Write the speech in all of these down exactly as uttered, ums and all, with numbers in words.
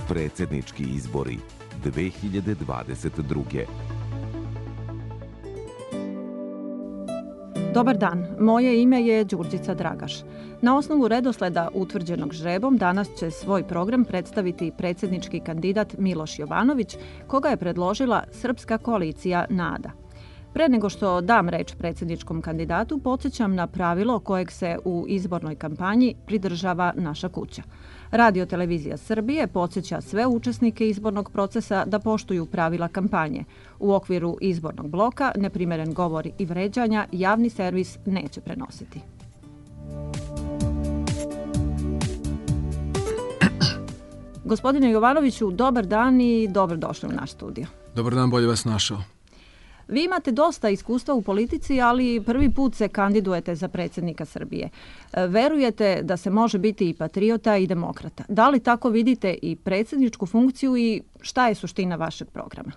Predsjednički izbori dve hiljade dvadeset druge. Dobar dan, moje ime je Đurđica Dragaš. Na osnovu redosleda utvrđenog žrebom danas će svoj program predstaviti predsjednički kandidat Miloš Jovanović, koga je predložila Srpska koalicija NADA. Pre nego što dam reč predsjedničkom kandidatu, podsjećam na pravilo kojeg se u izbornoj kampanji pridržava naša kuća. Radio Televizija Srbije podsjeća sve učesnike izbornog procesa da poštuju pravila kampanje. U okviru izbornog bloka neprimeren govor i vređanja javni servis neće prenositi. Gospodine Jovanoviću, dobar dan i dobrodošli u naš studio. Dobar dan, bolje vas našao. Vi imate dosta iskustva u politici, ali prvi put se kandidujete za predsjednika Srbije. Verujete da se može biti i patriota i demokrata. Da li tako vidite i predsjedničku funkciju i šta je suština vašeg programa?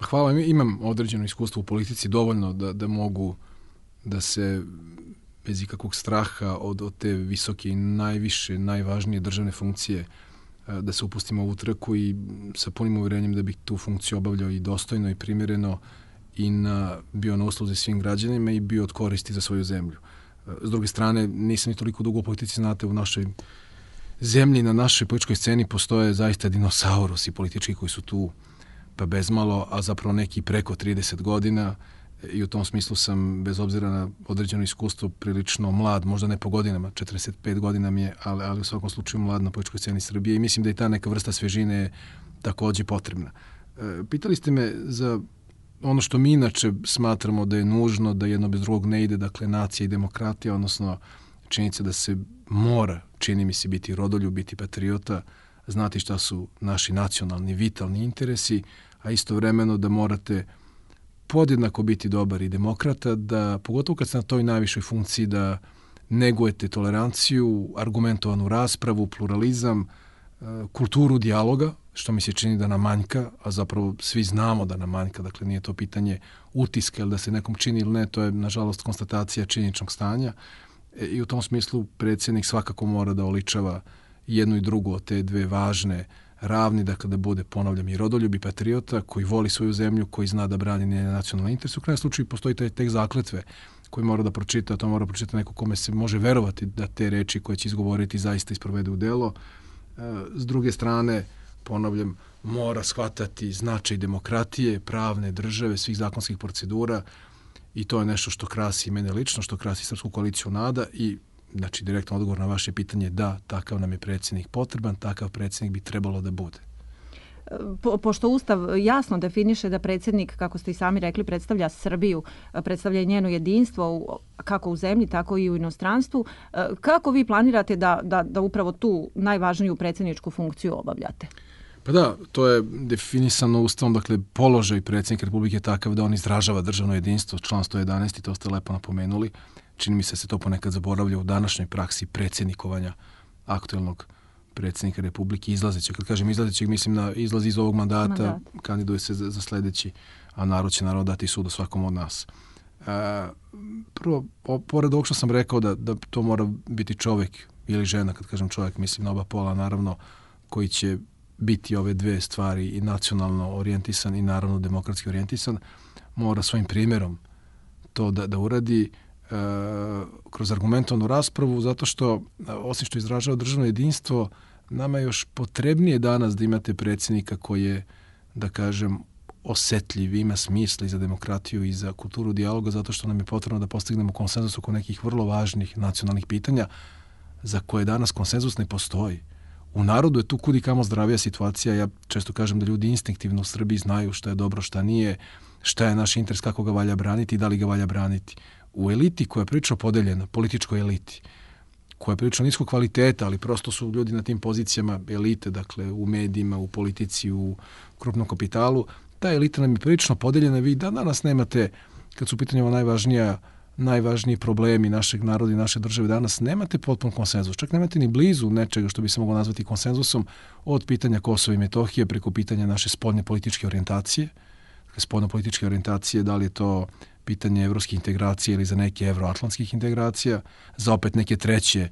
Hvala, imam određeno iskustvo u politici, dovoljno da, da mogu da se bez ikakvog straha od, od te visoke i najviše, najvažnije državne funkcije da se upustimo u trku i sa punim uvjerenjem da bih tu funkciju obavljao i dostojno i primjereno i na, bio na usluzi svim građanima i bio od koristi za svoju zemlju. S druge strane, nisam ni toliko dugo u politici, znate, u našoj zemlji, na našoj političkoj sceni postoje zaista dinosaurusi politički koji su tu pa bezmalo, a zapravo neki preko trideset godina i u tom smislu sam, bez obzira na određeno iskustvo, prilično mlad, možda ne po godinama, četrdeset pet godina mi je, ali, ali u svakom slučaju mlad na političkoj sceni Srbije i mislim da i ta neka vrsta svežine je također potrebna. E, pitali ste me za ono što mi inače smatramo da je nužno, da jedno bez drugog ne ide, dakle nacija i demokratija, odnosno činjenica da se mora, čini mi se, biti rodoljub, biti patriota, znati šta su naši nacionalni, vitalni interesi, a istovremeno da morate podjednako biti dobar i demokrata, da pogotovo kad ste na toj najvišoj funkciji da negujete toleranciju, argumentovanu raspravu, pluralizam, kulturu dijaloga, što mi se čini da nam manjka, a zapravo svi znamo da nam manjka, dakle nije to pitanje utiska ili da se nekom čini ili ne, to je nažalost konstatacija činjeničnog stanja i u tom smislu predsjednik svakako mora da oličava jednu i drugu od te dve važne ravni, dakle da bude, ponavljam, i rodoljub i patriota koji voli svoju zemlju, koji zna da brani njene nacionalne interese. U krajnjem slučaju postoji taj tek zakletve koji mora da pročita, to mora pročitati neko kome se može verovati da te reči koje će izgovoriti zaista isprovede u delo. S druge strane, ponavljam, mora shvatati značaj demokratije, pravne države, svih zakonskih procedura i to je nešto što krasi mene lično, što krasi Srpsku koaliciju NADA i znači, direktno odgovor na vaše pitanje, da, takav nam je predsjednik potreban, takav predsjednik bi trebalo da bude. Po, pošto Ustav jasno definiše da predsjednik, kako ste i sami rekli, predstavlja Srbiju, predstavlja njeno jedinstvo u, kako u zemlji, tako i u inostranstvu, kako vi planirate da, da, da upravo tu najvažniju predsjedničku funkciju obavljate? Pa da, to je definisano Ustavom, dakle, položaj predsjednika Republike je takav da on izražava državno jedinstvo, član sto jedanaest, i to ste lepo napomenuli. Čini mi se se to ponekad zaboravlja u današnjoj praksi predsjednikovanja aktuelnog predsjednika Republike izlazećeg. Kad kažem izlazećeg, mislim na izlaz iz ovog mandata, Mandat. Kandiduje se za, za sljedeći, a narod će naravno dati sud o svakom od nas. E, prvo, o, pored ovog što sam rekao da, da to mora biti čovjek ili žena, kad kažem čovjek, mislim na oba pola, naravno, koji će biti ove dve stvari i nacionalno orijentisan i naravno demokratski orijentisan, mora svojim primjerom to da, da uradi kroz argumentovanu raspravu, zato što, osim što izražava državno jedinstvo, nama je još potrebnije danas da imate predsjednika koji je, da kažem, osjetljiv, ima smisla i za demokratiju i za kulturu dijaloga, zato što nam je potrebno da postignemo konsenzus oko nekih vrlo važnih nacionalnih pitanja za koje danas konsenzus ne postoji. U narodu je tu kudi kamo zdravija situacija. Ja često kažem da ljudi instinktivno u Srbiji znaju šta je dobro, šta nije, šta je naš interes, kako ga valja braniti i da li ga valja braniti. U eliti koja je prilično podeljena, političkoj eliti, koja je prilično niskog kvaliteta, ali prosto su ljudi na tim pozicijama elite, dakle u medijima, u politici, u krupnom kapitalu, ta elita nam je prilično podeljena. Vi da danas nemate, kad su u pitanju najvažnija, najvažniji problemi našeg naroda i naše države, danas nemate potpun konsenzus. Čak nemate ni blizu nečega što bi se moglo nazvati konsenzusom, od pitanja Kosova i Metohije preko pitanja naše spoljne političke orijentacije. Dakle, spoljno političke orijentacije, da li je to pitanje evropskih integracija ili za neke evroatlantskih integracija, za opet neke treće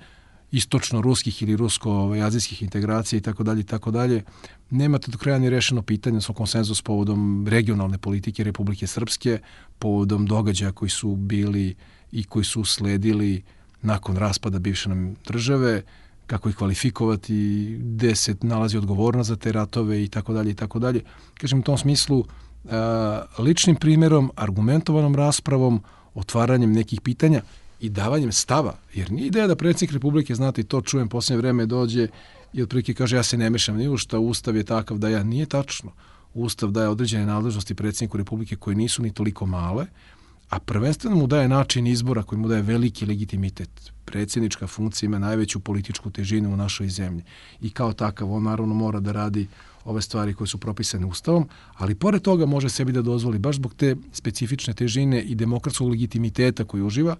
istočno-ruskih ili rusko-azijskih integracija i tako dalje i tako dalje. Nemate do kraja ni rešeno pitanje svoj konsenzus povodom regionalne politike Republike Srpske, povodom događaja koji su bili i koji su sledili nakon raspada bivše nam države, kako ih kvalifikovati, gde se nalazi odgovornost za te ratove i tako dalje i tako dalje. Kažem u tom smislu ličnim primjerom, argumentovanom raspravom, otvaranjem nekih pitanja i davanjem stava. Jer nije ideja da predsjednik Republike, znate, i to čujem posljednje vreme, dođe i otprilike kaže ja se ne mešam ni u šta, Ustav je takav da ja. Nije tačno. Ustav daje određene nadležnosti predsjedniku Republike koje nisu ni toliko male, a prvenstveno mu daje način izbora koji mu daje veliki legitimitet. Predsjednička funkcija ima najveću političku težinu u našoj zemlji i kao takav on naravno mora da radi ove stvari koje su propisane Ustavom, ali pored toga može sebi da dozvoli, baš zbog te specifične težine i demokratskog legitimiteta koji uživa,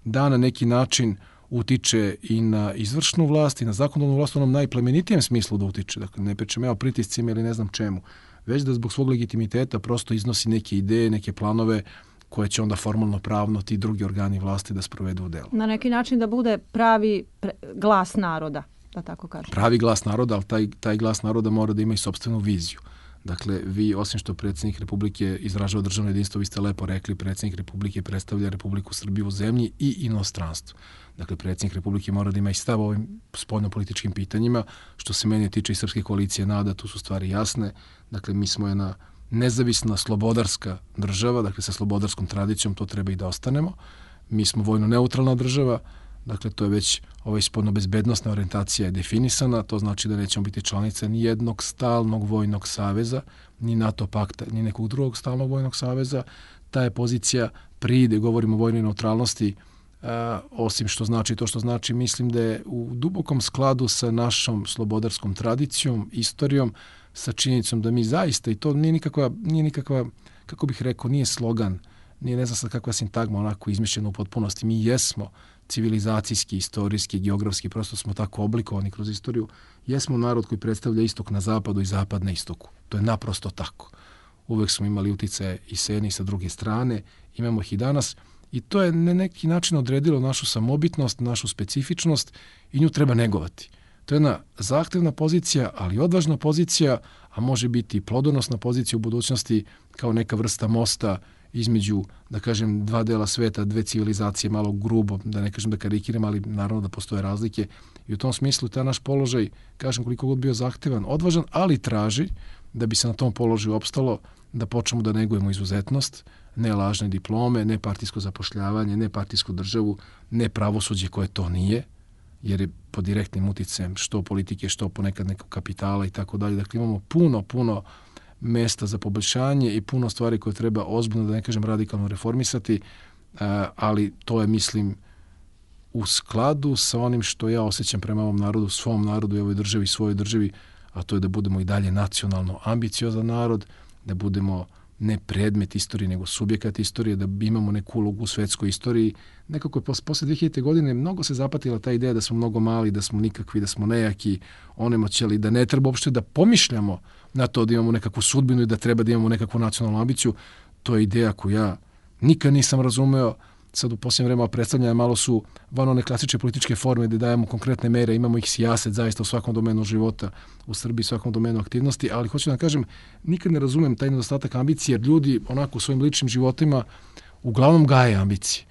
da na neki način utiče i na izvršnu vlast i na zakonodavnu vlast u onom najplemenitijem smislu da utiče. Dakle, ne pričam ja o pritiscima ili ne znam čemu, već da zbog svog legitimiteta prosto iznosi neke ideje, neke planove koje će onda formalno pravno ti drugi organi vlasti da sprovedu u delo. Na neki način da bude pravi pre- glas naroda, da tako kažem. Pravi glas naroda, ali taj, taj glas naroda mora da ima i sopstvenu viziju. Dakle, vi, osim što predsjednik Republike izražava državno jedinstvo, vi ste lepo rekli, predsjednik Republike predstavlja Republiku Srbiju u zemlji i inostranstvu. Dakle, predsjednik Republike mora da ima i stav o ovim spoljnopolitičkim pitanjima. Što se mene tiče i Srpske koalicije NADA, tu su stvari jasne. Dakle, mi smo jedna nezavisna, slobodarska država, dakle sa slobodarskom tradicijom, to treba i da ostanemo. Mi smo vojno neutralna država, dakle to je već ovaj spoljno-bezbednosna orijentacija je definisana, to znači da nećemo biti članica ni jednog stalnog vojnog saveza, ni NATO pakta, ni nekog drugog stalnog vojnog saveza. Ta je pozicija pride, govorimo o vojnoj neutralnosti, a, osim što znači to što znači, mislim da je u dubokom skladu sa našom slobodarskom tradicijom, istorijom, sa činjenicom da mi zaista, i to nije nikakva, nije nikakva, kako bih rekao, nije slogan, nije ne znam sad kakva sintagma onako izmišljena u potpunosti. Mi jesmo civilizacijski, istorijski, geografski, prosto smo tako oblikovani kroz istoriju. Jesmo narod koji predstavlja istok na zapadu i zapad na istoku. To je naprosto tako. Uvek smo imali uticaje i s jedne i sa druge strane, imamo ih i danas i to je na neki način odredilo našu samobitnost, našu specifičnost i nju treba negovati. To je jedna zahtevna pozicija, ali odvažna pozicija, a može biti plodonosna pozicija u budućnosti kao neka vrsta mosta između, da kažem, dva dela sveta, dve civilizacije, malo grubo, da ne kažem da karikiram, ali naravno da postoje razlike. I u tom smislu taj naš položaj, kažem koliko god bio zahtevan, odvažan, ali traži da bi se na tom položaju opstalo, da počnemo da negujemo izuzetnost, ne lažne diplome, ne partijsko zapošljavanje, ne partijsku državu, ne pravosuđe koje to nije, jer je pod direktnim uticajem što politike, što ponekad nekog kapitala i tako dalje. Dakle, imamo puno, puno mesta za poboljšanje i puno stvari koje treba ozbiljno, da ne kažem radikalno reformisati, ali to je, mislim, u skladu sa onim što ja osjećam prema ovom narodu, svom narodu i ovoj državi, svojoj državi, a to je da budemo i dalje nacionalno ambiciozan narod, da budemo ne predmet istorije, nego subjekat istorije, da imamo neku ulogu u svetskoj istoriji. Nekako je posle dve hiljadite godine mnogo se zapatila ta ideja da smo mnogo mali, da smo nikakvi, da smo nejaki, onemoćali, da ne treba uopšte da pomišljamo na to da imamo nekakvu sudbinu i da treba da imamo nekakvu nacionalnu ambiciju. To je ideja koju ja nikad nisam razumeo. Sad u posljednje vreme predstavljanja malo su van one klasične političke forme gde dajemo konkretne mere, imamo ih sijaset zaista u svakom domenu života, u Srbiji, u svakom domenu aktivnosti, ali hoću da kažem, nikad ne razumem taj nedostatak ambicije, jer ljudi onako u svojim ličnim životima uglavnom gaje ambicije,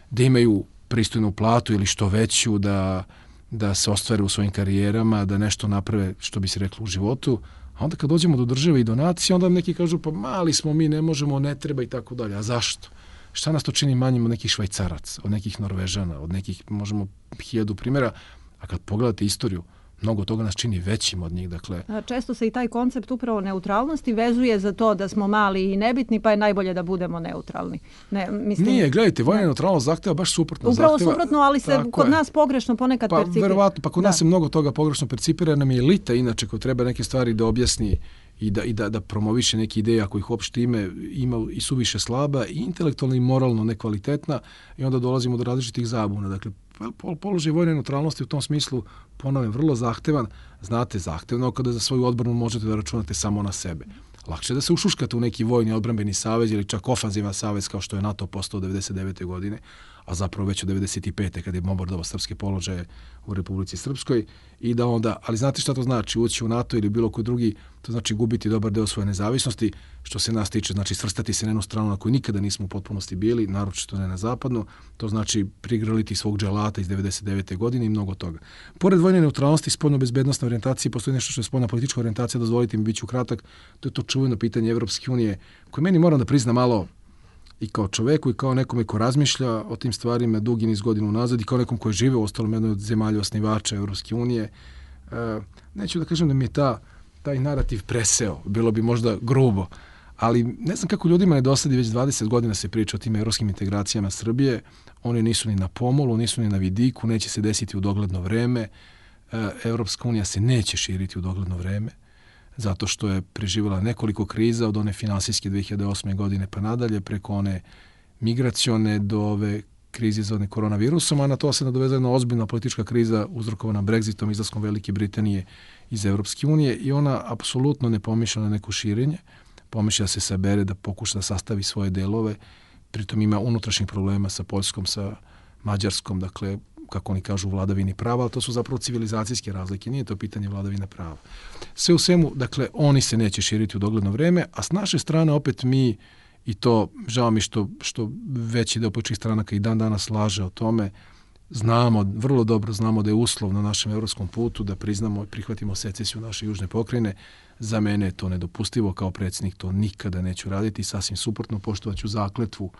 da imaju pristojnu platu ili što veću, da, da se ostvare u svojim karijerama, da nešto naprave, što bi se reklo, u životu, a onda kad dođemo do države i do nacije, onda neki kažu pa mali smo mi, ne možemo, ne treba i tako dalje. A zašto? Šta nas to čini manjim od nekih Švajcaraca, od nekih Norvežana, od nekih, možemo, hiljadu primjera, a kad pogledate istoriju, mnogo toga nas čini većim od njih. Dakle, često se i taj koncept upravo neutralnosti vezuje za to da smo mali i nebitni, pa je najbolje da budemo neutralni. Ne, mislim, nije, gledajte, vojna neutralnost zahteva baš suprotno. Upravo zahteva, suprotno, ali se kod je. nas pogrešno ponekad pa, percipira. Verovatno, pa kod da. nas se mnogo toga pogrešno percipira, nam je elita inače koja treba neke stvari da objasni i da, i da, da promoviše neke ideje ako ih uopšte ime, ima i suviše slaba i intelektualno i moralno nekvalitetna i onda dolazimo do različitih zabuna. Dakle, položaj vojne neutralnosti u tom smislu, ponavljam, vrlo zahtevan. Znate, zahtevno kada za svoju odbranu možete da računate samo na sebe. Lakše da se ušuškate u neki vojni odbrambeni savez ili čak ofanzivan savez kao što je NATO postao devedeset devete godine, a zapravo već od devedeset pete kad je bombardovao srpske položaje u Republici Srpskoj i da onda, ali znate šta to znači? Ući u NATO ili bilo koji drugi, to znači gubiti dobar deo svoje nezavisnosti, što se nas tiče, znači svrstati se na jednu stranu na kojoj nikada nismo u potpunosti bili, naročito ne na zapadnu, to znači prigrliti svog dželata iz devedeset devete godine i mnogo toga. Pored vojne neutralnosti, spoljno-bezbednostne orijentacije, postoji nešto što je spoljna politička orijentacija, dozvolite mi, bit ću kratak, to je to čuveno pitanje Evropske unije, koje meni moram da priznam malo i kao čoveku i kao nekome ko razmišlja o tim stvarima dugi niz godina unazad i kao nekom koji žive u ostalom jednoj od zemalja osnivača Evropske unije. E, neću da kažem da mi je ta, taj narativ preseo, bilo bi možda grubo, ali ne znam kako ljudima ne dosadi, već dvadeset godina se priča o tim evropskim integracijama Srbije, one nisu ni na pomolu, nisu ni na vidiku, neće se desiti u dogledno vreme, e, Evropska unija se neće širiti u dogledno vreme, zato što je preživjela nekoliko kriza od one finansijske dve hiljade osme godine pa nadalje, preko one migracione do ove krize izazvane koronavirusom, a na to se nadovezala jedna ozbiljna politička kriza uzrokovana Brexitom, izlaskom Velike Britanije iz Evropske unije i ona apsolutno ne pomišlja na neko širenje, pomišlja da se sabere, da pokuša da sastavi svoje delove, pritom ima unutrašnjih problema sa Poljskom, sa Mađarskom, dakle, kako oni kažu, vladavini prava, ali to su zapravo civilizacijske razlike, nije to pitanje vladavine prava. Sve u svemu, dakle, oni se neće širiti u dogledno vreme, a s naše strane opet mi, i to žao mi što, što veći deo političkih stranaka i dan danas laže o tome, znamo, vrlo dobro znamo da je uslov na našem evropskom putu da priznamo i prihvatimo secesiju naše južne pokrajine. Za mene je to nedopustivo, kao predsjednik to nikada neću raditi, sasvim suprotno, poštovaću zakletvu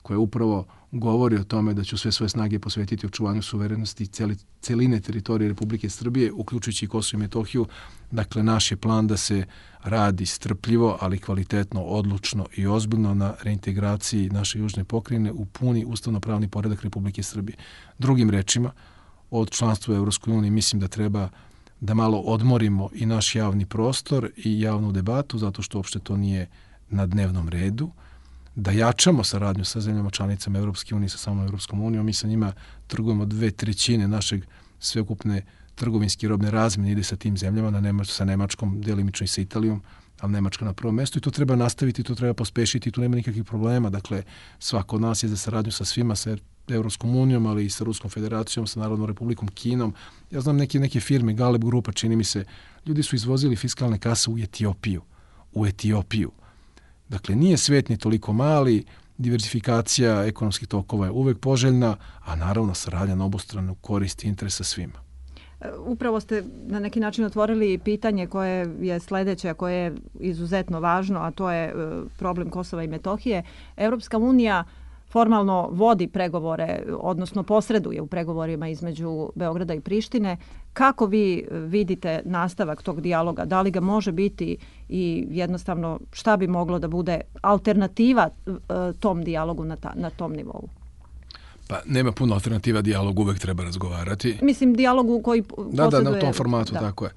koja upravo govori o tome da ću sve svoje snage posvetiti očuvanju suverenosti celi, celine teritorije Republike Srbije, uključujući i Kosovo i Metohiju. Dakle, naš je plan da se radi strpljivo, ali kvalitetno, odlučno i ozbiljno na reintegraciji naše južne pokrajine u puni ustavno-pravni poredak Republike Srbije. Drugim rečima, od članstva u Evropskoj uniji mislim da treba da malo odmorimo i naš javni prostor i javnu debatu, zato što uopšte to nije na dnevnom redu, da jačamo saradnju sa zemljama članicama Evropske unije, sa samom Evropskom unijom. Mi sa njima trgujemo dve trećine našeg sveukupne trgovinske robne razmjene ide sa tim zemljama, na Nemač, sa Nemačkom, delimično i sa Italijom, ali Nemačka na prvom mestu i to treba nastaviti, to treba pospešiti, tu nema nikakvih problema. Dakle, svako od nas je za saradnju sa svima, sa Evropskom unijom, ali i sa Ruskom federacijom, sa Narodnom republikom Kinom. Ja znam neke, neke firme, Galeb grupa, čini mi se, ljudi su izvozili fiskalne kase u Etiopiju. U Etiopiju. Dakle, nije svet ni toliko mali, diversifikacija ekonomskih tokova je uvek poželjna, a naravno saradnja na obostranu korist i interesa svima. Upravo ste na neki način otvorili pitanje koje je sledeće, koje je izuzetno važno, a to je problem Kosova i Metohije. Evropska unija formalno vodi pregovore, odnosno posreduje u pregovorima između Beograda i Prištine. Kako vi vidite nastavak tog dijaloga? Da li ga može biti i jednostavno šta bi moglo da bude alternativa tom dijalogu na, ta, na tom nivou? Pa nema puno alternativa, dijalog uvek treba razgovarati. Mislim, dijalogu koji posreduje... Da, da, na tom formatu, da. Tako je.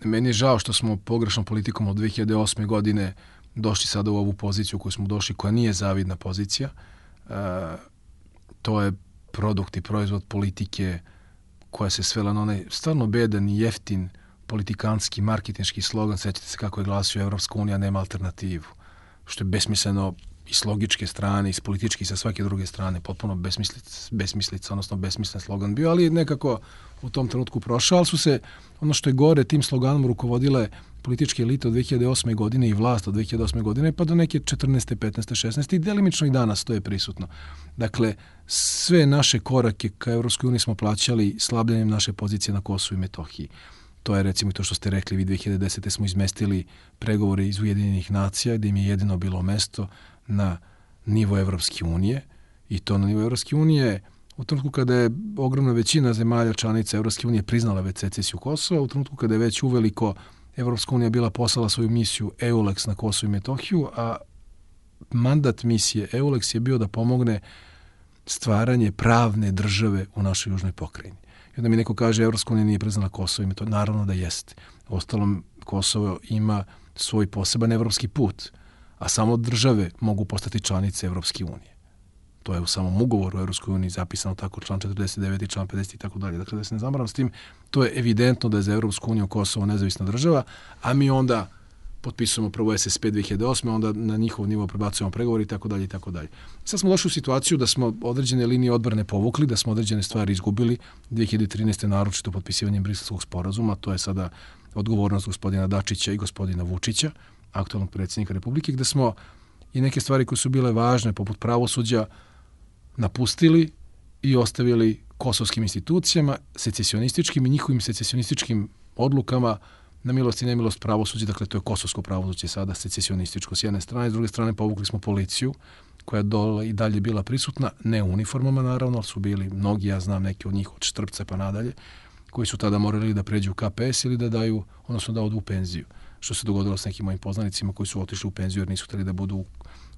Meni je žao što smo pogrešnom politikom od dve hiljade osme godine došli sada u ovu poziciju koju smo došli, koja nije zavidna pozicija. Uh, to je produkt i proizvod politike koja se svela na onaj stvarno bedan i jeftin politikanski, marketinški slogan. Sećate se kako je glasio Evropska unija nema alternativu. Što je besmisleno i s logičke strane, i s političke i sa svake druge strane. Potpuno besmislica, besmislica odnosno besmislen slogan bio, ali nekako u tom trenutku prošao. Ali su se, ono što je gore, tim sloganom rukovodile političke elite od dve hiljade osme godine i vlast od dve hiljade osme godine pa do neke četrnaeste, petnaeste, šesnaeste i delimično i danas to je prisutno. Dakle, sve naše korake ka Evropskoj uniji smo plaćali slabljenjem naše pozicije na Kosovu i Metohiji. To je recimo i to što ste rekli, vi dve hiljade desete smo izmestili pregovore iz Ujedinjenih nacija gdje im je jedino bilo mesto na nivo Evropske unije i to na nivo Evropske unije u trenutku kada je ogromna većina zemalja članica Evropske unije priznala već secesiju Kosova, u trenutku kada je već uveliko Evropska unija bila poslala svoju misiju EULEX na Kosovo i Metohiju, a mandat misije EULEX je bio da pomogne stvaranje pravne države u našoj južnoj pokrajini. I onda mi neko kaže Evropska unija nije priznala Kosovo i Metohiju. Naravno da jeste. Ostalom, Kosovo ima svoj poseban evropski put, a samo države mogu postati članice Evropske unije. To je u samom ugovoru u Evropskoj uniji zapisano tako, član četrdeset devet i član pedeset i tako dalje. Dakle, da se ne zamaram s tim, to je evidentno da je za Evropsku uniju Kosovo nezavisna država, a mi onda potpisujemo prvo S S P dve hiljade osme. onda na njihov nivo prebacujemo pregovori i tako dalje i tako dalje. Sad smo došli u situaciju da smo određene linije odbrane povukli, da smo određene stvari izgubili. dve hiljade trinaeste. naročito potpisivanjem Briselskog sporazuma, to je sada odgovornost gospodina Dačića i gospodina Vučića, aktualnog predsjednika Republike, gde smo i neke stvari koje su bile važne, poput pravosuđa, napustili i ostavili kosovskim institucijama, secesionističkim i njihovim secesionističkim odlukama na milost i nemilost pravosuđa. Dakle, to je kosovsko pravosuđe sada secesionističko s jedne strane, s druge strane povukli smo policiju koja je dole i dalje bila prisutna, ne u uniformama naravno, ali su bili mnogi, ja znam neki od njih od Štrpca pa nadalje, koji su tada morali da pređu u K P S ili da daju, odnosno da odu u penziju. Što se dogodilo s nekim mojim poznanicima koji su otišli u penziju jer nisu htjeli da budu u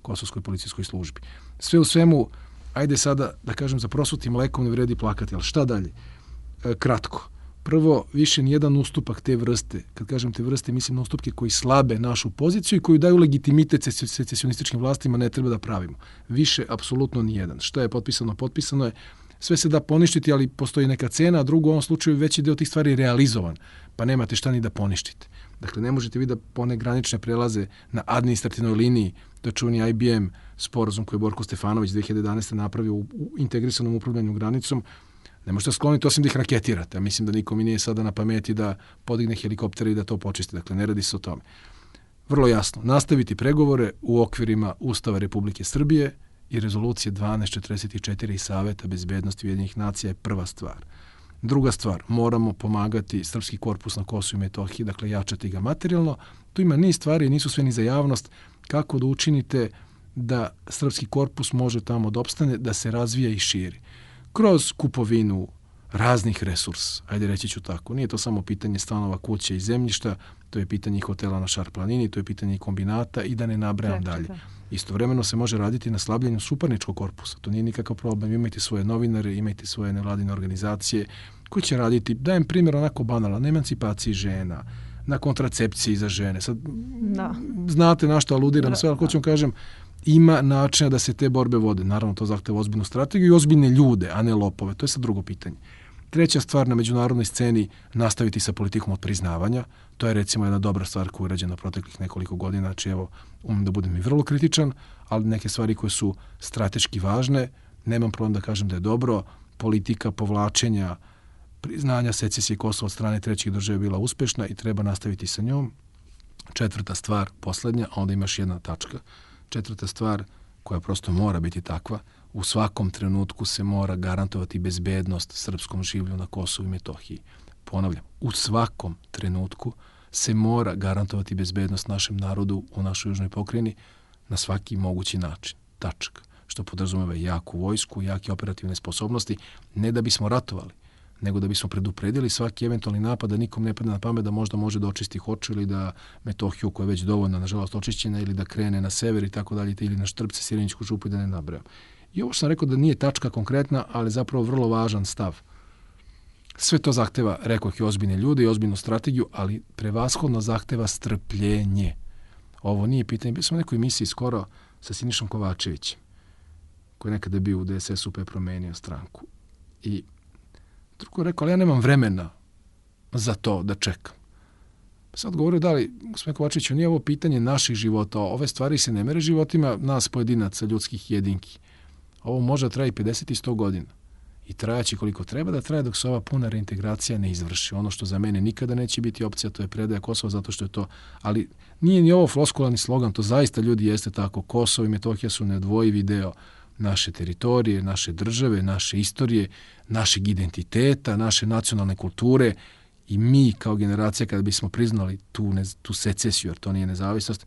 kosovskoj policijskoj službi. Sve u svemu, ajde sada da kažem za prosutim mlekom ne vredi plakati, ali šta dalje? E, kratko. Prvo, više nijedan ustupak te vrste, kad kažem te vrste, mislim na ustupke koji slabe našu poziciju i koji daju legitimitet secesionističkim vlastima, ne treba da pravimo. Više, apsolutno nijedan. Šta je potpisano? Potpisano je. Sve se da poništiti, ali postoji neka cena, a drugo u ovom slučaju veći deo tih stvari je realizovan, pa nemate šta ni da poništite. Dakle, ne možete vi da pone granične prelaze na administrativnoj liniji, to je čuveni I B M sporazum koji je Borko Stefanović dve hiljade jedanaeste. napravio u integrisanom upravljanju granicom. Ne možete skloniti osim da ih raketirate. Mislim da nikom i nije sada na pameti da podigne helikoptere i da to počisti. Dakle, ne radi se o tome. Vrlo jasno, nastaviti pregovore u okvirima Ustava Republike Srbije i rezolucije dvanaest četrdeset četiri i Saveta bezbednosti Ujedinjenih nacija je prva stvar. Druga stvar, moramo pomagati srpski korpus na Kosovu i Metohiji, dakle jačati ga materijalno. Tu ima niz stvari, nisu sve ni za javnost, kako da učinite da srpski korpus može tamo da opstane, da se razvija i širi. Kroz kupovinu raznih resursa, ajde reći ću tako. Nije to samo pitanje stanova, kuće i zemljišta, to je pitanje hotela na Šar planini, to je pitanje kombinata i da ne nabrajam dalje. Istovremeno se može raditi na slabljenju suparničkog korpusa. To nije nikakav problem. Imajte svoje novinare, imajte svoje nevladine organizacije koji će raditi, dajem primjer onako banalan, na emancipaciji žena, na kontracepciji za žene. Sad, da. Znate na što aludiram, sve, ali hoću vam kažem, ima načina da se te borbe vode. Naravno, to zahteva ozbiljnu strategiju i ozbiljne ljude, a ne lopove. To je sad drugo pitanje. Treća stvar, na međunarodnoj sceni nastaviti sa politikom od priznavanja. To je recimo jedna dobra stvar koja je urađena proteklih nekoliko godina. Znači, evo, umem da budem i vrlo kritičan, ali neke stvari koje su strateški važne, nemam problem da kažem da je dobro. Politika povlačenja priznanja secesije Kosova od strane trećih država je bila uspešna i treba nastaviti sa njom. Četvrta stvar, poslednja, a onda imaš jedna tačka. Četvrta stvar koja prosto mora biti takva, u svakom trenutku se mora garantovati bezbednost srpskom življu na Kosovu i Metohiji. Ponavljam, u svakom trenutku se mora garantovati bezbednost našem narodu u našoj južnoj pokrajini na svaki mogući način. Tačka. Što podrazumeva jaku vojsku, jake operativne sposobnosti, ne da bismo ratovali, nego da bismo predupredili svaki eventualni napad, da nikom ne padne na pamet da možda može da očisti Hoču ili da Metohiju, koja je već dovoljno, nažalost, očišćena, ili da krene na sever i tako dalje, ili na Štrpce, Sireničku župu i da ne nabrajam. I ovo što sam rekao da nije tačka konkretna, ali zapravo vrlo važan stav. Sve to zahteva, rekao i ozbiljne ljude i ozbiljnu strategiju, ali prevashodno zahteva strpljenje. Ovo nije pitanje. Bili smo u nekoj emisiji skoro sa Sinišom Kovačevićem, koji je nekada bio u D S S-u pa je promenio stranku. I drugo rekao, ali ja nemam vremena za to da čekam. Sad govorio da li, gospodin Kovačević, nije ovo pitanje naših života. Ove stvari se ne mere životima nas pojedinaca, ljudskih jedinki. Ovo može traje i pedeset i sto godina. I trajaći koliko treba da traje dok se ova puna reintegracija ne izvrši. Ono što za mene nikada neće biti opcija, to je predaja Kosova, zato što je to... Ali nije ni ovo floskularni slogan, to zaista ljudi jeste tako. Kosovo i Metohija su neodvojivi deo naše teritorije, naše države, naše istorije, našeg identiteta, naše nacionalne kulture. I mi kao generacija, kada bismo priznali tu, ne, tu secesiju, jer to nije nezavisnost,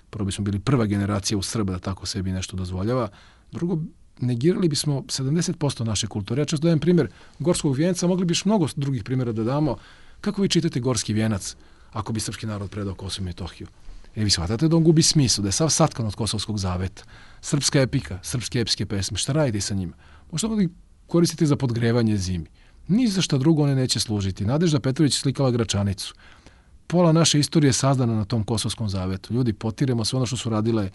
prvo bismo bili prva generacija u Srba da tako sebi nešto dozvoljava. Drugo, negirali bismo sedamdeset posto naše kulture. Ja često dajem primjer Gorskog vijenca, mogli bi još mnogo drugih primjera da damo. Kako vi čitate Gorski vijenac ako bi srpski narod predao Kosovo i Metohiju? E, vi shvatate da on gubi smisao, da je sav satkan od Kosovskog zaveta. Srpska epika, srpske epske pesme, šta radite sa njima? Možda da ih koristite za podgrevanje zimi. Ni za šta drugo one neće služiti. Nadežda Petrović slikala Gračanicu. Pola naše istorije je sazdana na tom Kosovskom zavetu. Ljudi, potiremo sve ono što su radile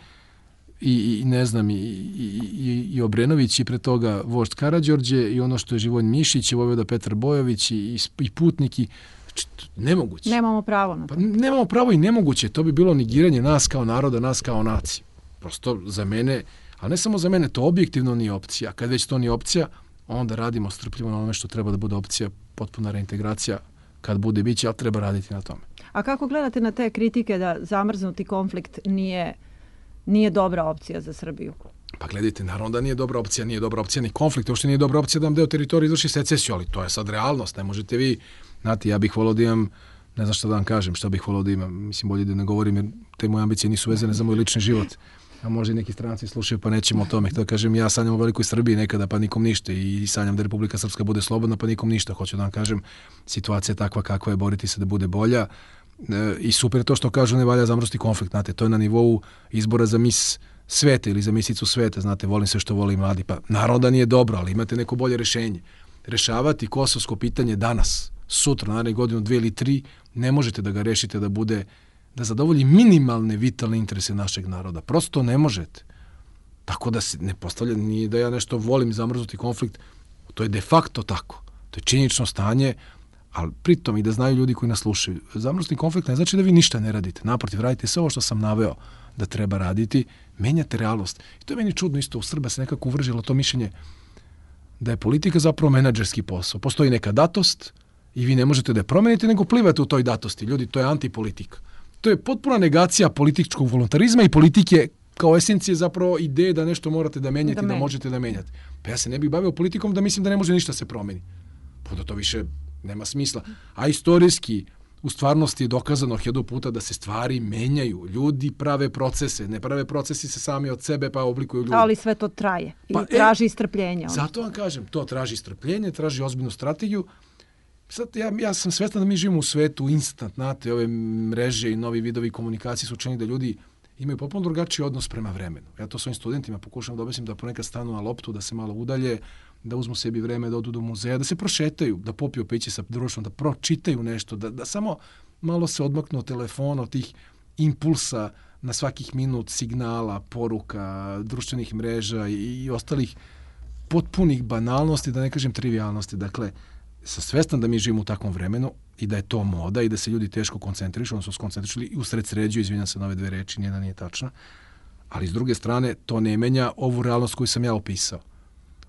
i, i ne znam, i, i, i, i Obrenović i pre toga vožd Karađorđe i ono što je Živojin Mišić i vojvoda Petar Bojović i, i, i putnik i Znači, nemoguće. Nemamo pravo na to. Pa nemamo pravo i nemoguće. To bi bilo negiranje nas kao naroda, nas kao nacije. Prosto za mene, ali ne samo za mene, to objektivno nije opcija. Kad već to nije opcija, onda radimo strpljivo na onome što treba da bude opcija, potpuna reintegracija. Kad bude biće, ali treba raditi na tome. A kako gledate na te kritike da zamrznuti konflikt nije, nije dobra opcija za Srbiju? Pa gledajte, naravno da nije dobra opcija, nije dobra opcija ni konflikt, uopšte nije dobra opcija da vam deo teritorije izvrši secesiju, ali to je sad realnost, ne možete vi, znate, ja bih volio da imam, ne znam šta da vam kažem, šta bih volio da imam, mislim bolje da ne govorim jer te moje ambicije nisu vezane za moj lični život, a možda i neki stranci slušaju pa nećemo o tome, da kažem ja sanjam o velikoj Srbiji nekada pa nikom ništa i sanjam da Republika Srpska bude slobodna pa nikom ništa, hoću da vam kažem, situacija je takva kakva je, boriti se da bude bolja e, i super je to što kažu ne valja zamrznuti konflikt, znate, to je na nivou izbora za mis sveta ili za misicu sveta, znate, volim sve što voli mladi, pa naravno da nije dobro, ali imate neko bolje rešenje. Rešavati kosovsko pitanje danas, sutra, naredne godinu, dve ili tri, ne možete da ga rešite da bude, da zadovolji minimalne vitalne interese našeg naroda. Prosto ne možete. Tako da se ne postavlja, nije da ja nešto volim zamrznuti konflikt, to je de facto tako. To je činjenično stanje, ali pritom i da znaju ljudi koji nas slušaju. Zamrznuti konflikt ne znači da vi ništa ne radite. Naprotiv, radite sve ovo što sam naveo da treba raditi, menjate realnost. I to je meni čudno isto, u Srba se nekako uvržilo to mišljenje da je politika zapravo menadžerski posao. Postoji neka datost i vi ne možete da je promenite, nego plivate u toj datosti. Ljudi, to je antipolitika. To je potpuna negacija političkog voluntarizma i politike kao esencije zapravo ideje da nešto morate da menjate, da, da možete da menjate. Pa ja se ne bih bavio politikom da mislim da ne može ništa se promeni. Pa da to više nema smisla. A istorijski, u stvarnosti je dokazano hiljadu puta da se stvari menjaju. Ljudi prave procese, ne prave procesi se sami od sebe pa oblikuju ljudi. Ali sve to traje i pa, traži e, strpljenje. Zato vam kažem, to traži strpljenje, traži ozbiljnu strategiju. Sad, ja, ja sam svestan da mi živimo u svetu instant, znate, ove mreže i novi vidovi komunikacije su učinili da ljudi imaju potpuno drugačiji odnos prema vremenu. Ja to svojim studentima pokušavam da objasnim da ponekad stanu na loptu, da se malo udalje, da uzmu sebi vreme, da odu do muzeja, da se prošetaju, da popiju piće sa društvom, da pročitaju nešto, da, da samo malo se odmaknu od telefona, od tih impulsa na svakih minut, signala, poruka, društvenih mreža i, i ostalih potpunih banalnosti, da ne kažem trivialnosti. Dakle, sam svestan da mi živimo u takvom vremenu i da je to moda i da se ljudi teško koncentrišu, odnosno skoncentrišili i usred sređuju, izvinjam se na ove dve reči, nijedna nije tačna, ali s druge strane to ne menja ovu realnost koju sam ja opisao.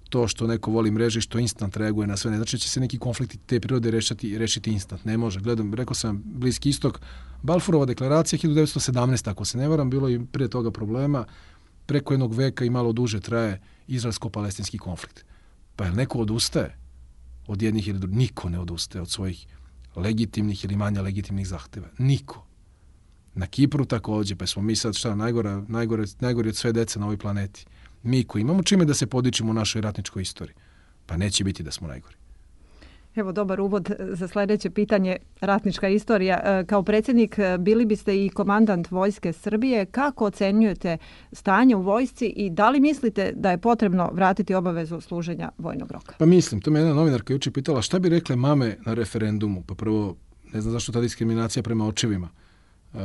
To što neko voli mreže i što instant reaguje na sve, ne znači će se neki konflikti te prirode rešiti, rešiti instant. Ne može. Gledam, rekao sam, Bliski istok, Balfourova deklaracija hiljadu devetsto sedamnaeste. Ako se ne varam, bilo i prije toga problema, preko jednog veka i malo duže traje izraelsko-palestinski konflikt. Pa je li neko odustaje od jednih ili drugih? Niko ne odustaje od svojih legitimnih ili manja legitimnih zahteva. Niko. Na Kipru također, pa smo mi sad šta, najgore, najgore, najgore od sve dece na ovoj planeti. Mi koji imamo čime da se podičimo u našoj ratničkoj istoriji. Pa neće biti da smo najgori. Evo dobar uvod za sljedeće pitanje, ratnička istorija. Kao predsjednik bili biste i komandant Vojske Srbije. Kako ocenjujete stanje u vojsci i da li mislite da je potrebno vratiti obavezu služenja vojnog roka? Pa mislim, to me jedna novinarka juče pitala šta bi rekle mame na referendumu. Pa prvo, ne znam zašto ta diskriminacija prema očevima. Uh,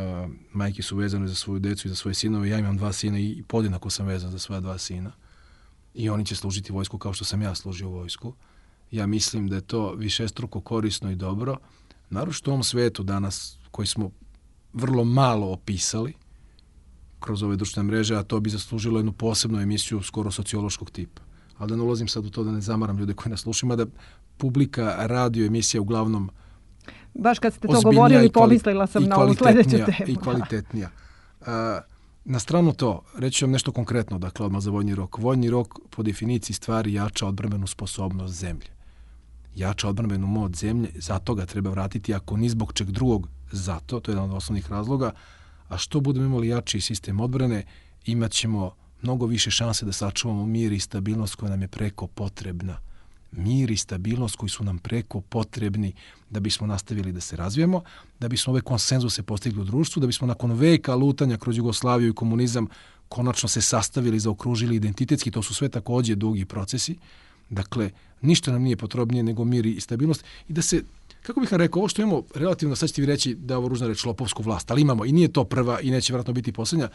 majke su vezane za svoju decu i za svoje sinove. Ja imam dva sina i podjednako sam vezan za svoja dva sina. I oni će služiti vojsku kao što sam ja služio vojsku. Ja mislim da je to višestruko korisno i dobro. Naročito u ovom svetu danas koji smo vrlo malo opisali kroz ove društvene mreže, a to bi zaslužilo jednu posebnu emisiju skoro sociološkog tipa. Ali da ne ulazim sad u to da ne zamaram ljude koji nas slušaju, da publika radio emisija uglavnom baš kad ste to govorili, pomislila sam na ovu sljedeću temu. I kvalitetnija. A, na stranu to, reći vam nešto konkretno, dakle, odmah za vojni rok. Vojni rok po definiciji stvari jača odbrambenu sposobnost zemlje. Jača odbrambenu moć zemlje, zato ga treba vratiti, ako ni zbog čeg drugog, zato, to je jedan od osnovnih razloga, a što budemo imali jači sistem odbrane, imat ćemo mnogo više šanse da sačuvamo mir i stabilnost koja nam je preko potrebna. Mir i stabilnost koji su nam preko potrebni da bismo nastavili da se razvijemo, da bismo ove konsenzuse postigli u društvu, da bismo nakon veka lutanja kroz Jugoslaviju i komunizam konačno se sastavili, zaokružili identitetski, to su sve također dugi procesi. Dakle, ništa nam nije potrebnije nego mir i stabilnost i da se, kako bih vam rekao, ovo što imamo relativno, sad ćete vi reći da je ovo ružna reč, lopovsku vlast, ali imamo i nije to prva i neće vjerojatno biti posljednja.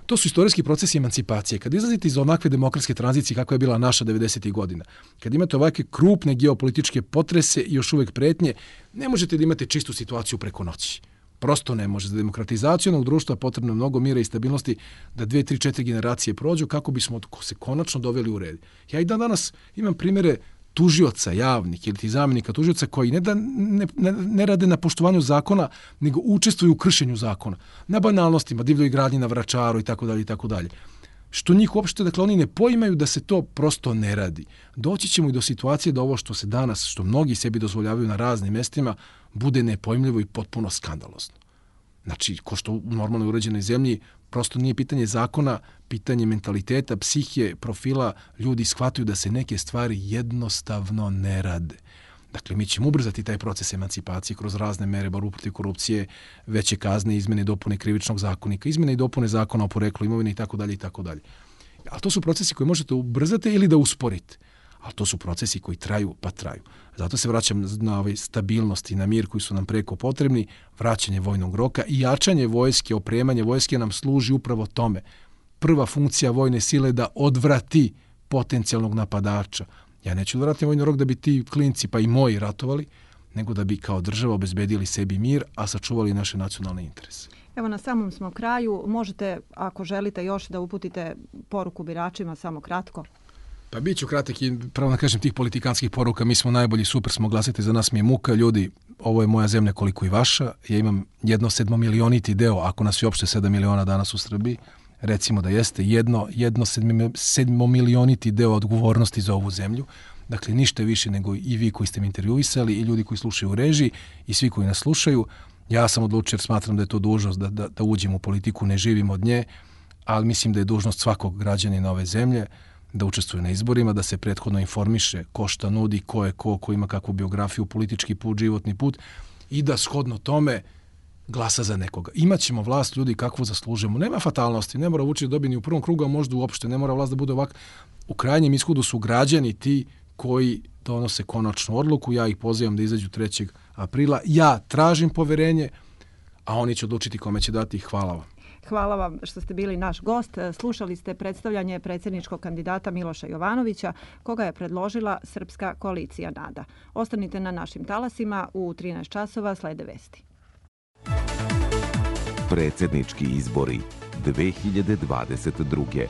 To su istorijski procesi emancipacije. Kad izlazite iz onakve demokratske tranzicije kakva je bila naša devedesetih godina, kad imate ovakve krupne geopolitičke potrese i još uvek pretnje, ne možete da imate čistu situaciju preko noći. Prosto ne može. Za demokratizaciju jednog društva potrebno je mnogo mira i stabilnosti da dve, tri, četiri generacije prođu kako bismo se konačno doveli u red. Ja i dan danas imam primjere tužioca javnih ili ti zamjenika tužioca koji ne, da, ne, ne, ne rade na poštovanju zakona, nego učestvuju u kršenju zakona. Na banalnostima, divljoj gradnji na Vračaru i tako dalje i tako dalje. Što njih uopšte, dakle, oni ne poimaju da se to prosto ne radi. Doći ćemo i do situacije da ovo što se danas, što mnogi sebi dozvoljavaju na raznim mestima, bude nepojmljivo i potpuno skandalozno. Znači, ko što u normalno uređenoj zemlji, prosto nije pitanje zakona, pitanje mentaliteta, psihije, profila, ljudi shvataju da se neke stvari jednostavno ne rade. Dakle, mi ćemo ubrzati taj proces emancipacije kroz razne mere, borbu protiv korupcije, veće kazne, izmene i dopune krivičnog zakonika, izmene i dopune zakona o poreklu imovine i tako dalje i tako dalje. Ali to su procesi koje možete ubrzati ili da usporite. Ali to su procesi koji traju, pa traju. Zato se vraćam na ovaj stabilnost i na mir koji su nam preko potrebni, vraćanje vojnog roka i jačanje vojske, opremanje vojske nam služi upravo tome. Prva funkcija vojne sile je da odvrati potencijalnog napadača. Ja neću da vratim vojni rok da bi ti klinci, pa i moji, ratovali, nego da bi kao država obezbedili sebi mir, a sačuvali naše nacionalne interese. Evo, na samom smo kraju. Možete, ako želite još, da uputite poruku biračima, samo kratko. Pa bit ću kratak i pravo da kažem tih politikanskih poruka. Mi smo najbolji, super smo, glasite za nas, mi je muka. Ljudi, ovo je moja zemlja koliko i vaša. Ja imam jedno sedmomilioniti deo, ako nas je uopšte sedam miliona danas u Srbiji, recimo da jeste, jedno, jedno sedmomilioniti deo odgovornosti za ovu zemlju. Dakle, ništa više nego i vi koji ste mi intervjuisali i ljudi koji slušaju u režiji i svi koji nas slušaju. Ja sam odlučio jer smatram da je to dužnost da, da, da uđem u politiku, ne živim od nje, ali mislim da je dužnost svakog građanina ove zemlje da učestvuje na izborima, da se prethodno informiše ko šta nudi, ko je ko, ko ima kakvu biografiju, politički put, životni put i da shodno tome glasa za nekoga. Imaćemo vlast, ljudi, kakvu zaslužemo. Nema fatalnosti, ne mora Vučić dobiti ni u prvom krugu, a možda uopšte ne mora vlast da bude ovak. U krajnjem ishodu su građani ti koji donose konačnu odluku. Ja ih pozivam da izađu trećeg aprila. Ja tražim poverenje, a oni će odlučiti kome će dati. Hvala vam. Hvala vam što ste bili naš gost. Slušali ste predstavljanje predsjedničkog kandidata Miloša Jovanovića, koga je predložila Srpska koalicija NADA. Ostanite na našim talasima, u trinaest časova slede vesti. Predsjednički izbori dve hiljade dvadeset druge.